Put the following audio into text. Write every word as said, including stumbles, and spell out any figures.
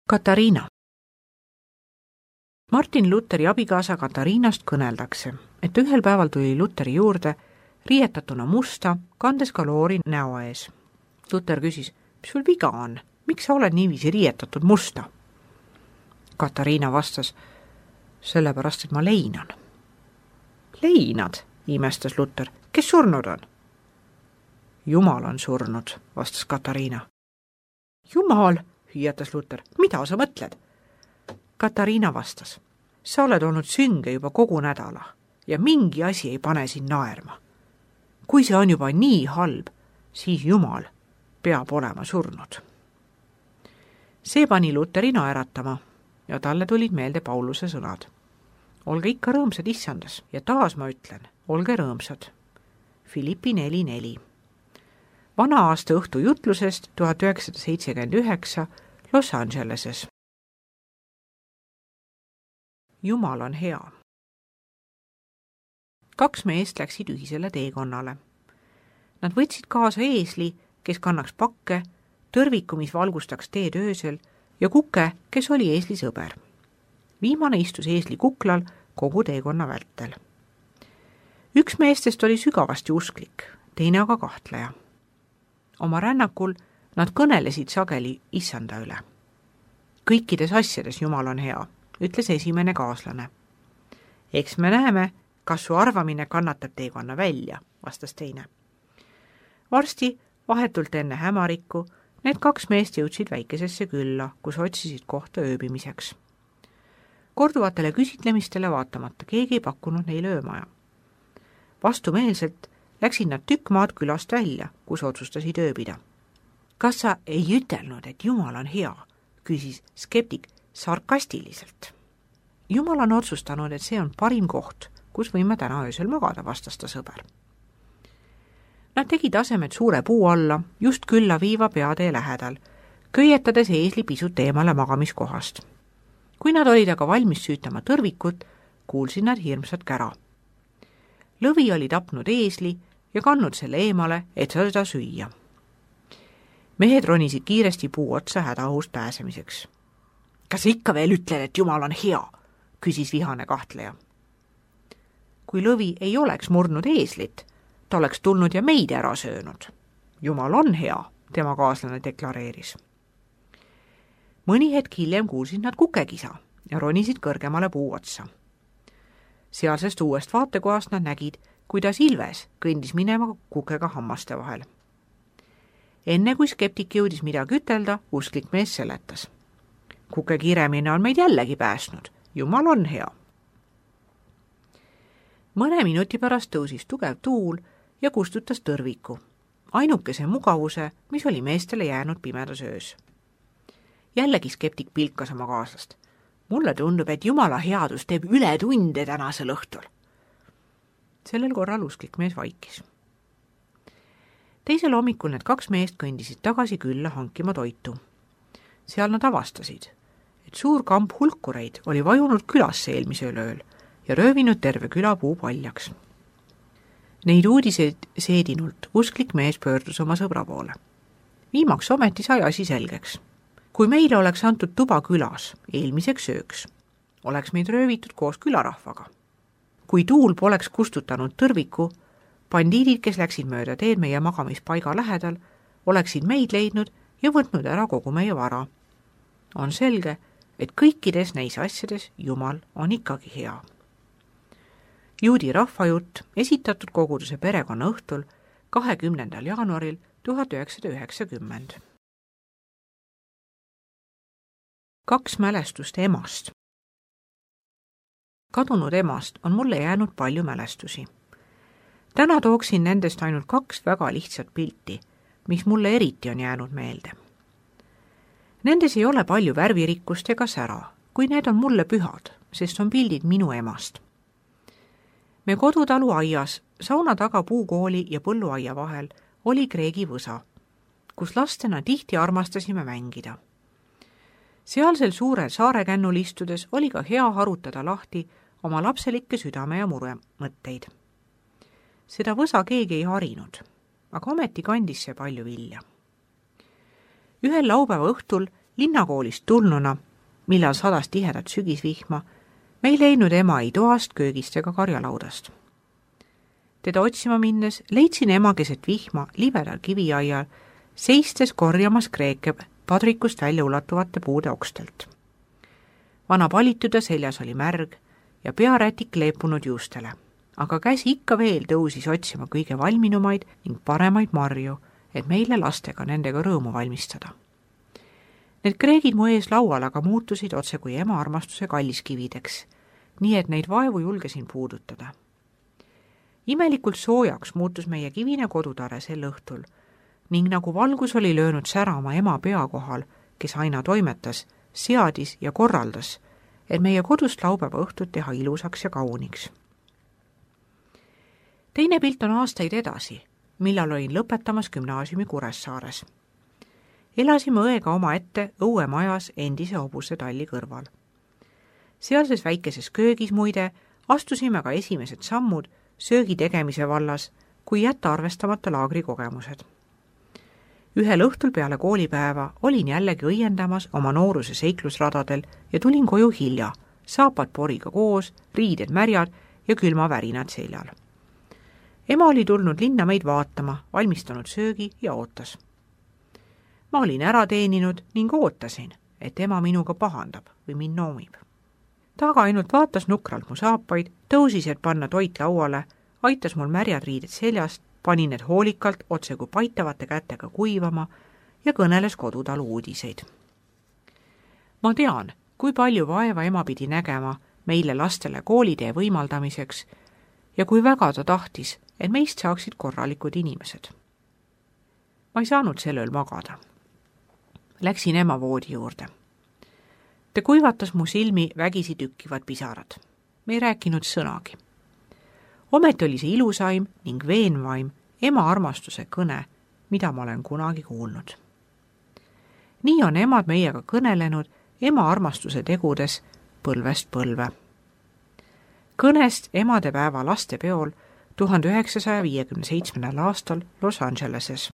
Katariina. Martin Lutheri abikaasa Katariinast kõneldakse, et ühel päeval tuli Lutheri juurde riietatuna musta, kandes ka loori näo ees. Luther küsis, mis sul viga on, miks sa oled niiviisi riietatud musta? Katariina vastas, sellepärast, et ma leinan. Leinad, imestas Luther, kes surnud on? Jumal on surnud, vastas Katariina. Jumal, hüüatas Luther, mida sa mõtled? Katariina vastas, sa oled olnud sünge juba kogu nädala ja mingi asi ei pane sind naerma. Kui see on juba nii halb, siis Jumal peab olema surnud. See pani Lutheri naeratama ja talle tulid meelde Pauluse sõnad. Olge ikka rõõmsad issandas ja taas ma ütlen, olge rõõmsad. Filippi neli neli. Vana aasta õhtu jutlusest tuhat üheksasada seitsekümmend üheksa Los Angeleses. Jumal on hea. Kaks meest läksid ühisele teekonnale. Nad võtsid kaasa eesli, kes kannaks pakke, tõrviku, mis valgustaks teed öösel, ja kuke, kes oli eesli sõber. Viimane istus eesli kuklal kogu teekonna vältel. Üks meestest oli sügavasti usklik, teine aga kahtleja. Oma rännakul nad kõnelesid sageli issanda üle. Kõikides asjades Jumal on hea, ütles esimene kaaslane. Eks me näeme, kas su arvamine kannatab teekonna välja, vastas teine. Varsti, vahetult enne hämarikku, need kaks meest jõudsid väikesesse külla, kus otsisid kohta ööbimiseks. Korduvatele küsitlemistele vaatamata keegi ei pakkunud neile öömaja. Vastumeelselt läksid nad tükk maad külast välja, kus otsustasid ööbida. Kas sa ei ütelnud, et Jumal on hea, küsis skeptik sarkastiliselt. Jumal on otsustanud, et see on parim koht, kus võime täna öösel magada, vastas ta sõber. Nad tegid asemed suure puu alla, just külla viiva peatee lähedal, köietades eesli pisut eemale magamiskohast. Kui nad olid aga valmis süütama tõrvikut, kuulsid nad hirmsat kära. Lõvi oli tapnud eesli ja kannud selle eemale, et seda süüa. Mehed ronisid kiiresti puu otsa hädaohust pääsemiseks. Kas sa ikka veel ütled, et Jumal on hea? Küsis vihane kahtleja. Kui lõvi ei oleks murdnud eeslit, ta oleks tulnud ja meid ära söönud. Jumal on hea, tema kaaslane deklareeris. Mõni hetk hiljem kuulsid nad kukekisa ja ronisid kõrgemale puu otsa. Sealsest uuest vaatekohast nad nägid, kuidas Ilves kõndis minema kukega hammaste vahel. Enne kui skeptik jõudis midagi ütelda, usklik mees seletas. Kuke kiremine on meid jällegi päästnud. Jumal on hea. Mõne minuti pärast tõusis tugev tuul ja kustutas tõrviku. Ainukese mugavuse, mis oli meestele jäänud pimedas öös. Jällegi skeptik pilkas oma kaaslast. Mulle tundub, et Jumala headus teeb üle tunde tänasel õhtul. Sellel korral usklik mees vaikis. Teisel hommikul need kaks meest kõndisid tagasi külla hankima toitu. Seal nad avastasid, et suur kamp hulkureid oli vajunud külasse eelmisel ööl ja röövinud terve külapuu paljaks. Neid uudiseid seedinult usklik mees pöördus oma sõbra poole. Viimaks ometi sai asi selgeks. Kui meile oleks antud tuba külas eelmiseks ööks, oleks meid röövitud koos külarahvaga. Kui tuul poleks kustutanud tõrviku, bandiidid, kes läksid mööda teed meie magamispaiga lähedal, oleksid meid leidnud ja võtnud ära kogu meie vara. On selge, et kõikides neis asjades Jumal on ikkagi hea. Juudi rahvajutt esitatud koguduse perekonna õhtul kahekümnendal jaanuaril tuhat üheksasada üheksakümmend. Kaks mälestust emast. Kadunud emast on mulle jäänud palju mälestusi. Täna tooksin nendest ainult kaks väga lihtsat pilti, mis mulle eriti on jäänud meelde. Nendes ei ole palju värvirikkust ega sära, kui need on mulle pühad, sest on pildid minu emast. Me kodutalu aias, sauna taga puukooli ja põlluaia vahel oli kreegi võsa, kus lastena tihti armastasime mängida. Sealsel suurel saarekännul istudes oli ka hea harutada lahti oma lapselikke südame ja mure mõtteid. Seda võsa keegi ei harinud, aga ometi kandis see palju vilja. Ühel laupäeva õhtul linnakoolist tulnuna, millal sadas tihedat sügisvihma, me ei leidnud ema ei toast, köögist ega karjalaudast. Teda otsima minnes leidsin ema keset vihma libedal kiviaial, seistes korjamas kreeke padrikust välja ulatuvate puude okstelt. Vana palituda seljas oli märg ja pearätik leepunud juustele, aga käsi ikka veel tõusis otsima kõige valminumaid ning paremaid marju, et meile lastega nendega rõõmu valmistada. Need kreegid mu ees laual aga muutusid otse kui ema armastuse kalliskivideks, nii et neid vaevu julgesin puudutada. Imelikult soojaks muutus meie kivine kodutare sel õhtul ning nagu valgus oli löönud särama ema pea kohal, kes aina toimetas, seadis ja korraldas, et meie kodust laupäeva õhtut teha ilusaks ja kauniks. Teine pilt on aastaid edasi, millal olin lõpetamas gümnaasiumi Kuressaares. Elasime õega oma ette õuemajas endise hobuse talli kõrval. Sealses väikeses köögis muide astusime ka esimesed sammud söögi tegemise vallas, kui jätta arvestamata laagrikogemused. Ühel õhtul peale koolipäeva olin jällegi õiendamas oma nooruse seiklusradadel ja tulin koju hilja, saapad poriga koos, riided märjad ja külmavärinad seljal. Ema oli tulnud linna meid vaatama, valmistanud söögi ja ootas. Ma olin ära teeninud ning ootasin, et ema minuga pahandab või mind noomib. Ta aga ainult vaatas nukralt mu saapaid, tõusis, et panna toit lauale, aitas mul märjad riided seljast, pani need hoolikalt otse kui paitavate kätega kuivama ja kõneles kodutalu uudiseid. Ma tean, kui palju vaeva ema pidi nägema meile lastele koolitee võimaldamiseks ja kui väga ta tahtis, et meist saaksid korralikud inimesed. Ma ei saanud sel ööl magada. Läksin ema voodi juurde. Ta kuivatas mu silmi vägisi tükkivad pisarad. Me ei rääkinud sõnagi. Ometi oli see ilusaim ning veenvaim ema armastuse kõne, mida ma olen kunagi kuulnud. Nii on emad meiega kõnelenud ema armastuse tegudes põlvest põlve. Kõnest emadepäeva lastepeol tuhande üheksasaja viiekümne seitsmendal aastal Los Angeleses.